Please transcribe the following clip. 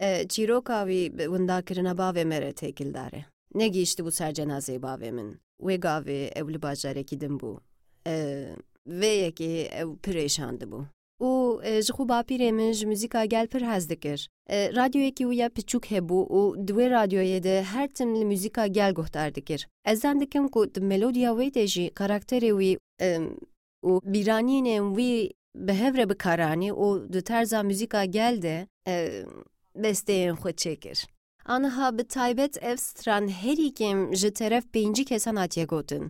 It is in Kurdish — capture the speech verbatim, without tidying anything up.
E, çîroka wî bi windakirina bavê me re têkildar e. Negihîştibû ser cenazeyê bavê min. Wê gavê ew li bajarekî din bû. E, vê yekê ew pir êşandibû. Û, e, ji xwe bapîrê min ji muzîka gel pir hez dikir. E, radyoyekî wî ya piçûk hebû û di wê radyoyê de her tim li muzîka gel guhdar dikir. Ez zan dikim ku di melodiya wê de jî karakterê wî, e, û bîranînên wî bi hev re bi kar anî û di terza muzîka gel de, e, besteyên xwe çêkir. Aniha bi taybet ev stran herî kêm ji teref pêncî kesan hatiye gotin.